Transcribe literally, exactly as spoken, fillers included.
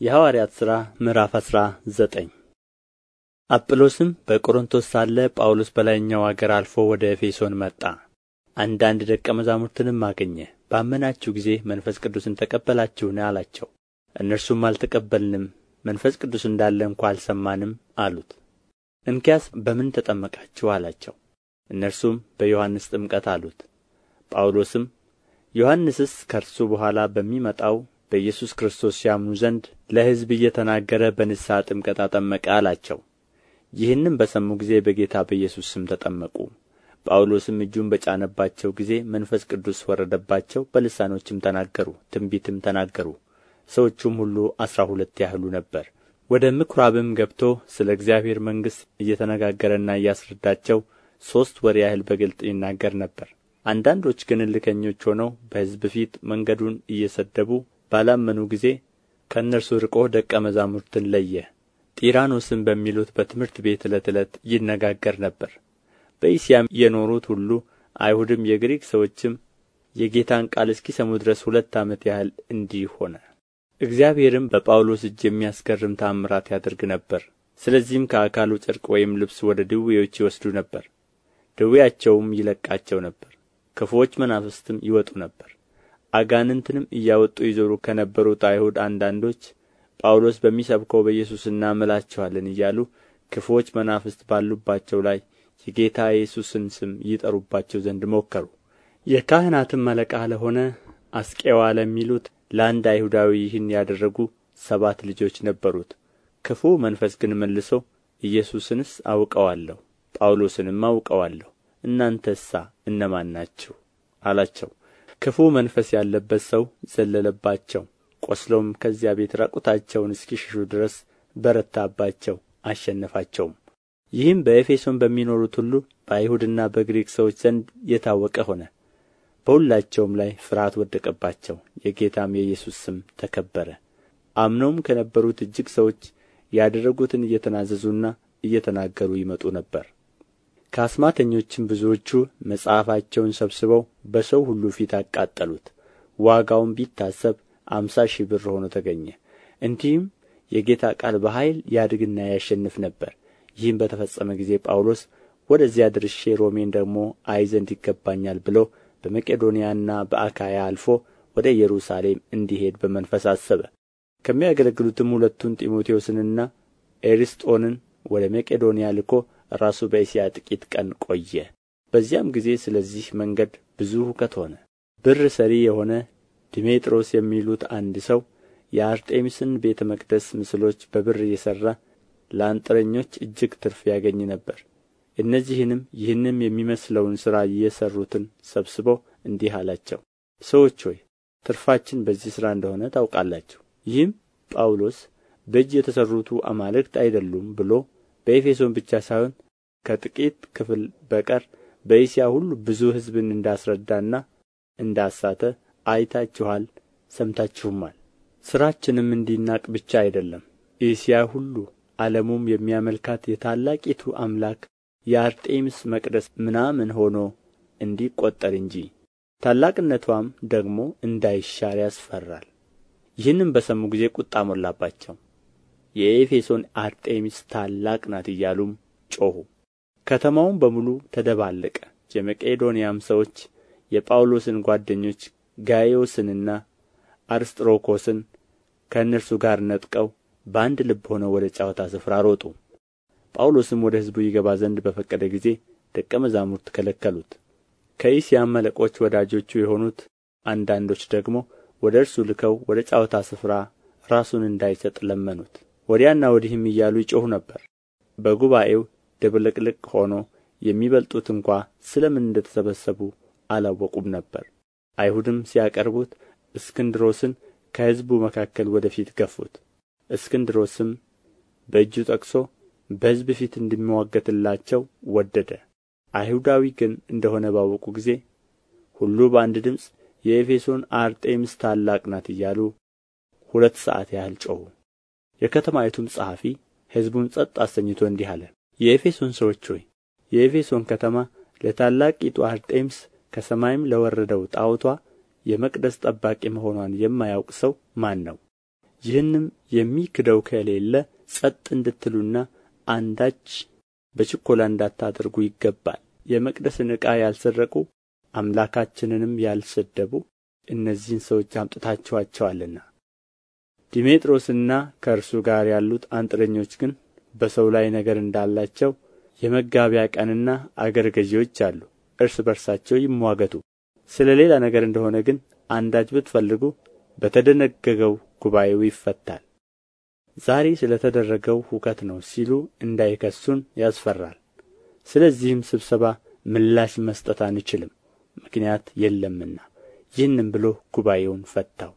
የሐዋርያት ሥራ ምዕራፍ አስራ ዘጠኝ አጵሎስም በቆሮንቶስ ሳለ ጳውሎስ በላይኛው አገር አልፎ ወደ ኤፌሶን መጣ። አንዳንድ ደቀ መዛሙርትንም አገኘ። ባመናችሁ ጊዜ መንፈስ ቅዱስን ተቀበላችሁን አላቸው። እነርሱም አልተቀበልንም፣ መንፈስ ቅዱስ እንዳለ እንኳ አልሰማንም አሉት። እንኪያስ በምን ተጠመቃችሁ አላቸው። እነርሱም በዮሐንስ ጥምቀት አሉት። ጳውሎስም ዮሐንስስ ከእርሱ በኋላ በሚመጣው በኢየሱስ ክርስቶስ ያምኑ ዘንድ ለሕዝብ እየተናገረ በንስሐ ጥምቀት አጠመቀ አላቸው። ይህንም በሰሙ ጊዜ በጌታ በኢየሱስ ስም ተጠመቁ። ጳውሎስም እጁን በጫነባቸው ጊዜ መንፈስ ቅዱስ ወረደባቸው፣ በልሳኖችም ተናገሩ፣ ትንቢትም ተናገሩ። ሰዎቹም ሁሉ አሥራ ሁለት ያህሉ ነበር። ወደ ምኵራብም ገብቶ ስለ እግዚአብሔር መንግሥት እየተነጋገረና እያስረዳቸው ሦስት ወር ያህል በግልጥ ይናገር ነበር። አንዳንዶች ግን እልከኞች ሆነው በሕዝብ ፊት መንገዱን እየሰደቡ ባላመኑ ጊዜ ከእነርሱ ርቆ ደቀ መዛሙርትን ለየ። ጢራኖስም በሚሉት በትምህርት ቤት ዕለት ዕለት ይነጋገር ነበር። በእስያም የኖሩት ሁሉ አይሁድም የግሪክ ሰዎችም የጌታን ቃል እስኪሰሙ ድረስ ሁለት ዓመት ያህል እንዲህ ሆነ። እግዚአብሔርም በጳውሎስ እጅ የሚያስገርም ተአምራት ያደርግ ነበር። ስለዚህም ከአካሉ ጨርቅ ወይም ልብስ ወደ ድውዮች ይወስዱ ነበር፣ ደዌያቸውም ይለቃቸው ነበር። ክፉዎች መናፍስትም ይወጡ ነበር። አጋንንትንም እያወጡ ይዞሩ ከነበሩት አይሁድ አንዳንዶች ጳውሎስ በሚሰብከው በኢየሱስ እናምላችኋለን እያሉ ክፉዎች መናፍስት ባሉባቸው ላይ የጌታ ኢየሱስን ስም ይጠሩባቸው ዘንድ ሞከሩ። የካህናትም አለቃ ለሆነ አስቄዋ ለሚሉት ለአንድ አይሁዳዊ ይህን ያደረጉ ሰባት ልጆች ነበሩት። ክፉ መንፈስ ግን መልሶ ኢየሱስንስ አውቀዋለሁ፣ ጳውሎስንም አውቀዋለሁ፣ እናንተሳ እነማን ናችሁ አላቸው። ክፉ መንፈስ ያለበት ሰው ዘለለባቸው፣ ቆስለውም ከዚያ ቤት ራቁታቸውን እስኪሸሹ ድረስ በረታባቸው፣ አሸነፋቸውም። ይህም በኤፌሶን በሚኖሩት ሁሉ በአይሁድና በግሪክ ሰዎች ዘንድ የታወቀ ሆነ። በሁላቸውም ላይ ፍርሃት ወደቀባቸው፣ የጌታም የኢየሱስ ስም ተከበረ። አምነውም ከነበሩት እጅግ ሰዎች ያደረጉትን እየተናዘዙና እየተናገሩ ይመጡ ነበር። ከአስማተኞችም ብዙዎቹ መጽሐፋቸውን ሰብስበው በሰው ሁሉ ፊት አቃጠሉት። ዋጋውም ቢታሰብ አምሳ ሺህ ብር ሆኖ ተገኘ። እንዲህም የጌታ ቃል በኃይል ያድግና ያሸንፍ ነበር። ይህም በተፈጸመ ጊዜ ጳውሎስ ወደዚያ ደርሼ ሮሜን ደግሞ አይ ዘንድ ይገባኛል ብሎ በመቄዶንያና በአካያ አልፎ ወደ ኢየሩሳሌም እንዲሄድ በመንፈስ አሰበ። ከሚያገለግሉትም ሁለቱን ጢሞቴዎስንና ኤርስጦንን ወደ መቄዶንያ ልኮ ራሱ በእስያ ጥቂት ቀን ቆየ። በዚያም ጊዜ ስለዚህ መንገድ ብዙ ሁከት ሆነ። ብር ሰሪ የሆነ ድሜጥሮስ የሚሉት አንድ ሰው የአርጤምስን ቤተ መቅደስ ምስሎች በብር እየሠራ ለአንጥረኞች እጅግ ትርፍ ያገኝ ነበር። እነዚህንም ይህንም የሚመስለውን ሥራ እየሠሩትን ሰብስቦ እንዲህ አላቸው፣ ሰዎች ሆይ ትርፋችን በዚህ ሥራ እንደሆነ ታውቃላችሁ። ይህም ጳውሎስ በእጅ የተሠሩቱ አማልክት አይደሉም ብሎ በኤፌሶን ብቻ ሳይሆን ከጥቂት ክፍል በቀር በእስያ ሁሉ ብዙ ሕዝብን እንዳስረዳና እንዳሳተ አይታችኋል፣ ሰምታችሁማል። ሥራችንም እንዲናቅ ብቻ አይደለም፣ እስያ ሁሉ ዓለሙም የሚያመልካት የታላቂቱ አምላክ የአርጤምስ መቅደስ ምናምን ሆኖ እንዲቈጠር እንጂ ታላቅነቷም ደግሞ እንዳይሻር ያስፈራል። ይህንም በሰሙ ጊዜ ቁጣ ሞላባቸው። የኤፌሶን አርጤምስ ታላቅ ናት እያሉም ጮኹ። ከተማውም በሙሉ ተደባለቀ። የመቄዶንያም ሰዎች የጳውሎስን ጓደኞች ጋይዮስንና አርስጥሮኮስን ከእነርሱ ጋር ነጥቀው በአንድ ልብ ሆነው ወደ ጨዋታ ስፍራ ሮጡ። ጳውሎስም ወደ ሕዝቡ ይገባ ዘንድ በፈቀደ ጊዜ ደቀ መዛሙርት ከለከሉት። ከእስያም አለቆች ወዳጆቹ የሆኑት አንዳንዶች ደግሞ ወደ እርሱ ልከው ወደ ጨዋታ ስፍራ ራሱን እንዳይሰጥ ለመኑት። ወዲያና ወዲህም እያሉ ይጮኹ ነበር። በጉባኤው ድብልቅልቅ ሆኖ የሚበልጡት እንኳ ስለ ምን እንደ ተሰበሰቡ አላወቁም ነበር። አይሁድም ሲያቀርቡት እስክንድሮስን ከሕዝቡ መካከል ወደ ፊት ገፉት። እስክንድሮስም በእጁ ጠቅሶ በሕዝብ ፊት እንዲምዋገትላቸው ወደደ። አይሁዳዊ ግን እንደሆነ ባወቁ ጊዜ ሁሉ በአንድ ድምፅ የኤፌሶን አርጤምስ ታላቅ ናት እያሉ ሁለት ሰዓት ያህል ጮኹ። የከተማይቱም ጸሐፊ ሕዝቡን ጸጥ አሰኝቶ እንዲህ አለ፣ የኤፌሶን ሰዎች ሆይ የኤፌሶን ከተማ ለታላቂቱ አርጤምስ ከሰማይም ለወረደው ጣዖቷ የመቅደስ ጠባቂ መሆኗን የማያውቅ ሰው ማን ነው? ይህንም የሚክደው ከሌለ ጸጥ እንድትሉና አንዳች በችኰላ እንዳታደርጉ ይገባል። የመቅደስን ዕቃ ያልሰረቁ አምላካችንንም ያልሰደቡ እነዚህን ሰዎች አምጥታችኋቸዋልና። ዲሜጥሮስና ከእርሱ ጋር ያሉት አንጥረኞች ግን በሰው ላይ ነገር እንዳላቸው የመጋቢያ ቀንና አገረ ገዢዎች አሉ። እርስ በርሳቸው ይምዋገቱ። ስለ ሌላ ነገር እንደሆነ ግን አንዳች ብትፈልጉ በተደነገገው ጉባኤው ይፈታል። ዛሬ ስለ ተደረገው ሁከት ነው ሲሉ እንዳይከሱን ያስፈራል። ስለዚህም ስብሰባ ምላሽ መስጠት አንችልም፣ ምክንያት የለምና። ይህንም ብሎ ጉባኤውን ፈታው።